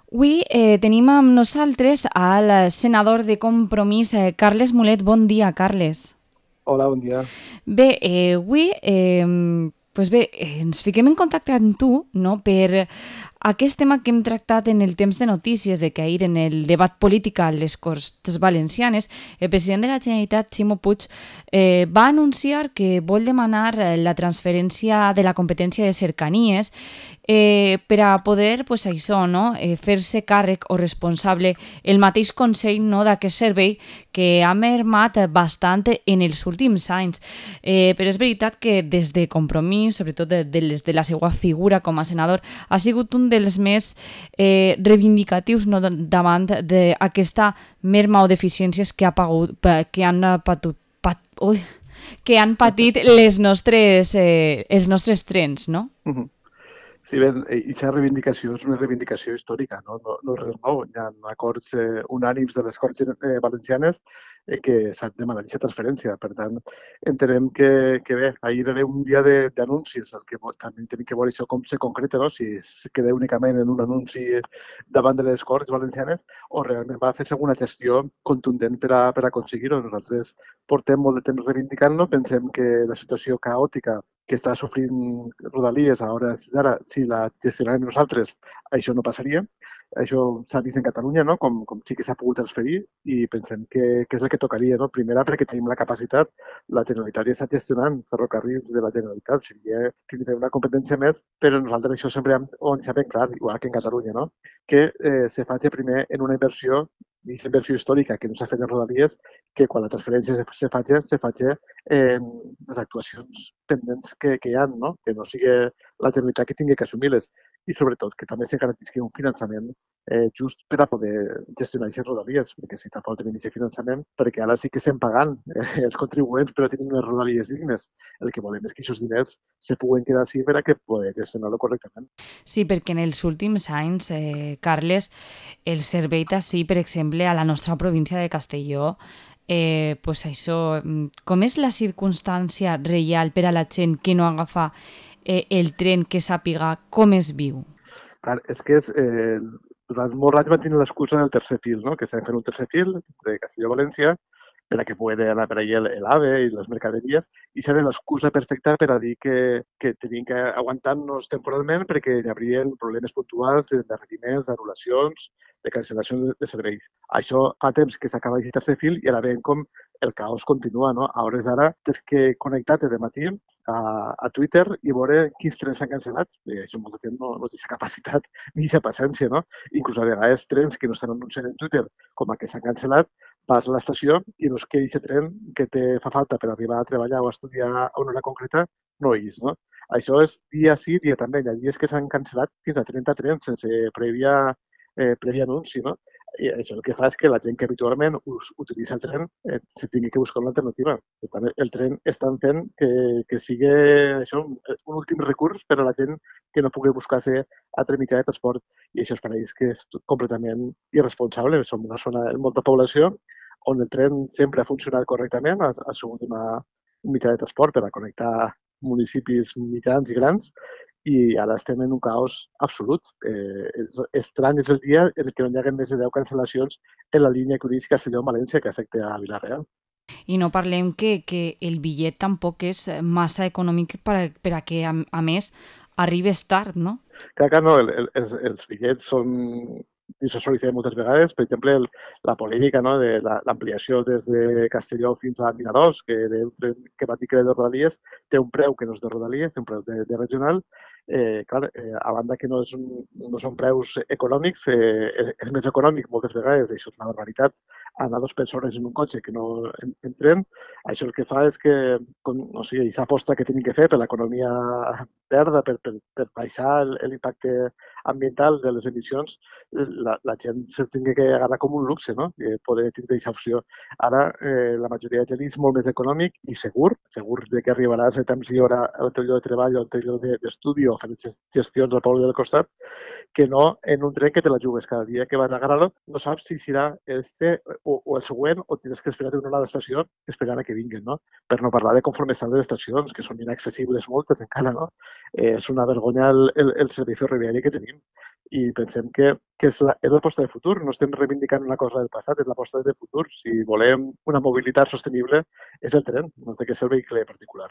Avui tenim amb nosaltres al senador de Compromís, Carles Mulet. Bon dia, Carles. Hola, bon dia. Bé, avui ens fiquem en contacte amb tu, no?, per aquest tema que hem tractat en el temps de notícies de que ahir en el debat polític a les Corts Valencianes, el president de la Generalitat, Ximo Puig, va anunciar que vol demanar la transferència de la competència de cercanies per a poder, pues, això, no?, fer-se càrrec o responsable el mateix Consell, no?, d'aquest servei que ha mermat bastant en els últims anys. Però és veritat que des de Compromís, sobretot de la seva figura com a senador, ha sigut un dels més reivindicatius, no?, davant d'aquesta merma o deficiències que, que han patut, que han patit els nostres trens, no? Mhm. Sí, bé, aquesta reivindicació és una reivindicació històrica, no és res nou. Hi ha acords unànims de les Corts Valencianes que s'ha demanat aquesta transferència. Per tant, entenem que bé, ahir era un dia d'anuncis, el que també tenim que veure això com se concreta, no? Si es queda únicament en un anunci davant de les Corts Valencianes o realment va fer alguna gestió contundent per aconseguir-ho. Nosaltres portem molt de temps reivindicant-lo, pensem que la situació caòtica que està sofrint Rodalies a hores d'ara, si la gestionàrem nosaltres, això no passaria. Això s'ha vist en Catalunya, no? Com sí que s'ha pogut transferir i pensem que és el que tocaria. No? Primera, perquè tenim la capacitat. La Generalitat ja està gestionant ferrocarrils de la Generalitat, seria tindre una competència més, però nosaltres això sempre ho hem deixat ben clar, igual que en Catalunya, no? Que se faci primer en una inversió i inversió històrica que no s'ha fet en Rodalies, que quan la transferència se faci les actuacions pendents que hi ha, no? Que no sigui la Generalitat que tingui que assumir-les i sobretot que també se garantisqui un finançament just per a poder gestionar aquestes rodalies, perquè si tampoc tenim aquest finançament, perquè ara sí que estem pagant els contribuents per a tenir unes rodalies dignes. El que volem és que aquests diners se puguen quedar així per a que poder gestionar-lo correctament. Sí, perquè en els últims anys, Carles, el servei taxi, per exemple, a la nostra província de Castelló, pues això, com és la circumstància real per a la gent que no agafa el tren, que sàpiga com es viu? Clar, és que durant molt rato van tenir l'excusa del tercer fil, no? Que estem fent un tercer fil de Castelló a València per a que pugui anar per allà l'AVE i les mercaderies i serà l'excusa perfecta per a dir que tenim que aguantar-nos temporalment perquè hi hauria problemes puntuals d'endarreriments, d'anul·lacions, de cancel·lacions de serveis. Això fa temps que s'acaba aquest tercer fil i ara veiem com el caos continua, no? A hores d'ara tens que connectar-te de matí a Twitter i veure quins trens s'han cancel·lat. I això molta gent no té aquesta capacitat ni aquesta paciència, no? Inclús a vegades trens que no estan anunciats en Twitter com a que s'han cancel·lat, vas a l'estació i veus que aquest tren que te fa falta per arribar a treballar o a estudiar a una hora concreta no hi és, no? Això és dia sí, dia també. Hi ha dies que s'han cancel·lat fins a 30 trens sense previ anunci, no? I això el que fa és que la gent que habitualment utilitza el tren se tingui que buscar una alternativa. Per tant, el tren estan fent que sigui això, un últim recurs per a la gent que no pugui buscar-se altre mitjà de transport. I això es pareix que és completament irresponsable. Som una zona amb molta població on el tren sempre ha funcionat correctament, ha sigut un mitjà de transport per a connectar municipis mitjans i grans i ara estem en un caos absolut. Estrany és el dia en què no hi ha més de 10 cancel·lacions en la línia que uneix Castelló amb València que afecta a Vila-real. I no parlem que el bitllet tampoc és massa econòmic per a que, a més, arribes tard, no? Clar que no, els bitllets són i això s'ha dit moltes vegades, per exemple, la polèmica, no, de l'ampliació des de Castelló fins a Vinaròs, que era un tren que va dir que era de Rodalies, té un preu que no és de Rodalies, té un preu de regional. Clar, a banda que no són preus econòmics, és més econòmic moltes vegades, això és una barbaritat, anar 2 persones en un cotxe que no en tren. Això el que fa és que, o sigui, aquesta aposta que tenim que fer per l'economia verda, per baixar l'impacte ambiental de les emissions, la gent se tingui que agarrar com un luxe, no? Poder tindre aquesta opció. Ara, la majoria de gent és molt més econòmic i segur de que arribaràs a temps i hora al teu lloc de treball o al teu lloc d'estudi o fent gestions al poble del costat, que no en un tren que te la jugues cada dia que vas a agarrar-lo, no saps si serà o el següent o tens que esperar una hora a l'estació esperant a que vinguin, no? Per no parlar de conforme estan les estacions, que són inaccessibles moltes encara, no? És una vergonya el servei ferroviari que tenim i pensem que que és l'aposta de futur. No estem reivindicant una cosa del passat, és l'aposta de futur. Si volem una mobilitat sostenible, és el tren, no té que ser el vehicle particular.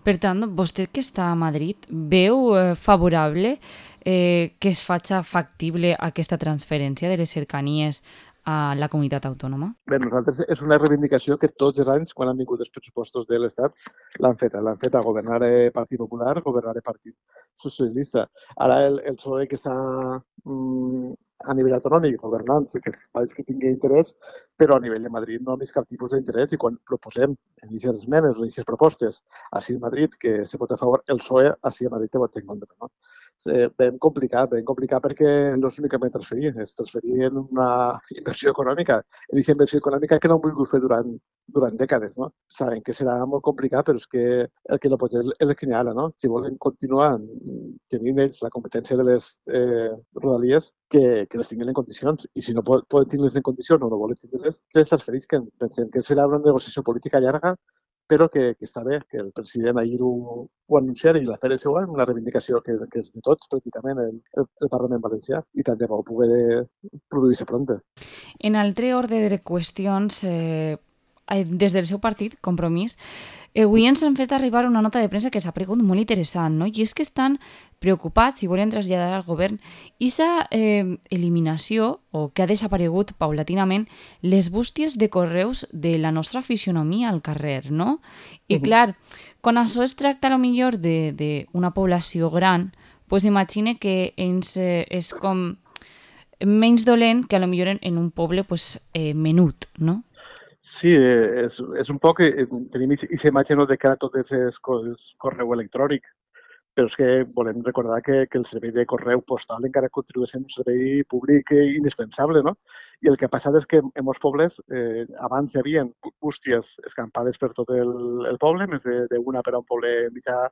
Per tant, vostè que està a Madrid, veu favorable que es faci factible aquesta transferència de les cercanies a la comunitat autònoma? Bé, nosaltres és una reivindicació que tots els anys, quan han vingut els pressupostos de l'Estat, l'han feta. L'han feta governar Partit Popular, governar Partit Socialista. Ara el PSOE que està a nivell autonòmic governant, que els països que tingui interès, però a nivell de Madrid no ha vist cap tipus d'interès i quan proposem en aquestes esmenes o en aquestes propostes així a Madrid que se pot a favor, el PSOE així a Madrid te vota en contra. No? Ben complicat perquè no és únicament transferir, és transferir en una inversió econòmica, en aquesta inversió econòmica que no han volgut fer durant dècades. No? Saben que serà molt complicat, però és que el que no pot és el que hi ha ara. No? Si volen continuar tenint ells la competència de les rodalies, que les tinguin en condicions. I si no poden tenir-les en condicions o no volen tenir-les, que les transferisquen. Pensem que serà una negociació política llarga, però que està bé, que el president ahir ho anunciara i la Pere Segura, una reivindicació que és de tots, pràcticament, el Parlament valencià, i tant de bo poder produir-se prompte. En altre ordre de qüestions, des del seu partit, Compromís, avui ens han fet arribar una nota de premsa que s'ha pregut molt interessant, no? I és que estan preocupats i volen traslladar al govern aquesta eliminació, o que ha desaparegut paulatinament, les bústies de correus de la nostra fisionomia al carrer, no? I clar, quan això es tracta millor d'una població gran, doncs imagine que és com menys dolent que a lo millor en un poble menut, no? Sí, és un poc... Tenim aquesta imatge de que ara tot és correu electrònic, però és que volem recordar que el servei de correu postal encara continua sent un servei públic indispensable, no? I el que ha passat és que en molts pobles abans hi havia bústies escampades per tot el poble, més d'una per a un poble mitjà,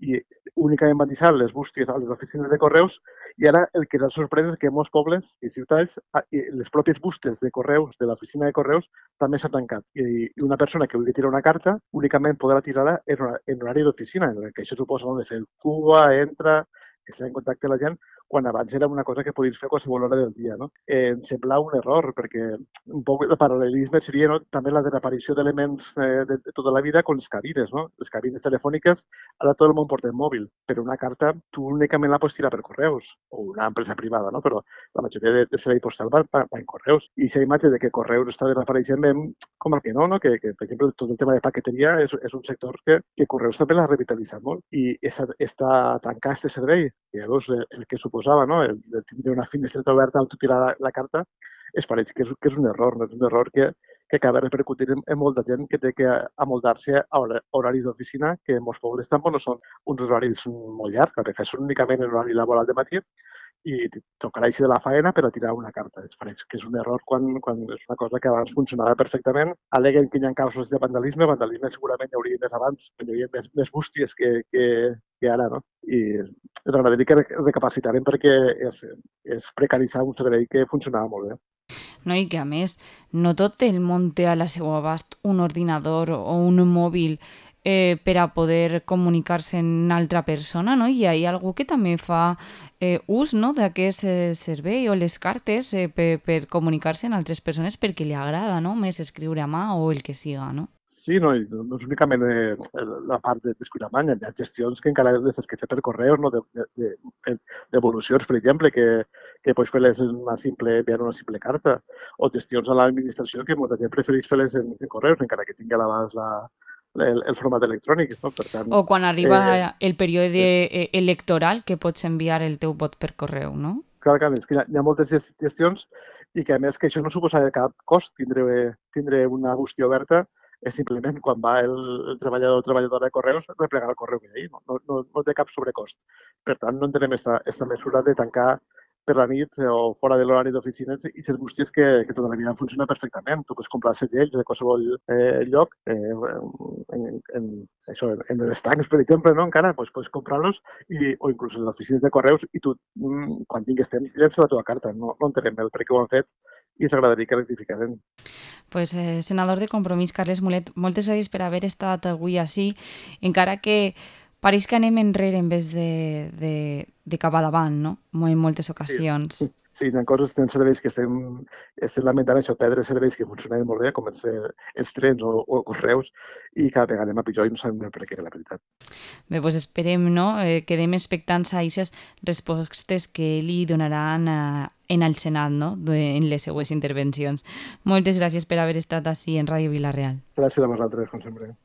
i únicament van deixar les bústies a les oficines de correus, i ara el que ens sorprèn és que en molts pobles i ciutats les pròpies bústies de correus de l'oficina de correus també s'ha tancat. I una persona que vulgui tirar una carta únicament podrà tirar-la en horari d'oficina, en el que això suposa de fer cua, entra, estar en contacte amb la gent, quan abans era una cosa que podies fer a qualsevol hora del dia. No? Em sembla un error, perquè un poc el paral·lelisme seria també la desaparició d'elements de tota la vida com les cabines. No? Les cabines telefòniques, ara tot el món porta el mòbil, però una carta tu únicament la pots tirar per correus, o una empresa privada, no? Però la majoria de servei postal va en correus. I aquesta imatge de que correus està desapareixent, com el que no? Que per exemple, tot el tema de paqueteria és un sector que correus també l'ha revitalitzat molt. I tancar aquest servei, i llavors el que suposava, no? el tindre una finestreta oberta on tu tirar la carta, es pareix que és un error, no? És un error que acaba repercutint en molta gent que té que amoldar-se a horaris d'oficina, que en molts pobles tampoc no són uns horaris molt llargs, perquè són únicament en horari laboral de matí, i tocarà així de la faena per a tirar una carta. Es pareix que és un error quan és una cosa que abans funcionava perfectament. Aleguen que hi ha casos de vandalisme segurament hi hauria més abans, hi havia més bústies que ara, no? I ens agradaria que recapacitaren perquè és precaritzar un servei que funcionava molt bé. No? I que a més no tot el món té a la seva abast un ordinador o un mòbil per a poder comunicar-se amb altra persona, no? I hi ha algú que també fa ús, no? d'aquest servei o les cartes per comunicar-se amb altres persones perquè li agrada, no? Més escriure a mà o el que siga, no? Sí, no és únicament la part d'escriure a mà, hi ha gestions que encara les has que fer per correus, no? Devolucions, per exemple, que pots fer-les enviar una simple carta, o gestions a l'administració que molta gent prefereix fer-les en correus, encara que tingui a l'abast el format electrònic. No? Per tant, o quan arriba el període electoral que pots enviar el teu vot per correu, no? Clar, és que hi ha moltes gestions i que, a més, que això no suposa cap cost tindre una bústia oberta, és simplement quan va el treballador o treballadora de correus replegar el correu que hi ha. No té cap sobrecost. Per tant, no entenem aquesta mesura de tancar per la nit o fora de l'horari d'oficines i les bústies que tota la vida funcionen perfectament. Tu pots comprar segells de qualsevol lloc, en els tancs, per exemple, no? Encara pots comprar-los o inclús en les oficines de correus i tu, quan tingues temps, llença la teva carta. No entenem el per què ho han fet i ens agradaria que rectificaren. Pues, senador de Compromís, Carles Mulet, moltes gràcies per haver estat avui així, encara que Pareix que anem enrere en vez de cap a davant, no? En moltes ocasions. Sí, hi ha coses, hi ha serveis que estem lamentant això, perdre serveis que funcionaven molt bé, com els trens o correus, i cada vegada anem a pitjor i no sabem per què, la veritat. Bé, doncs esperem, no? Quedem expectants a aquestes respostes que li donaran en el Senat, no? En les seues intervencions. Moltes gràcies per haver estat així en Ràdio Vila-real. Gràcies a vosaltres, com sempre.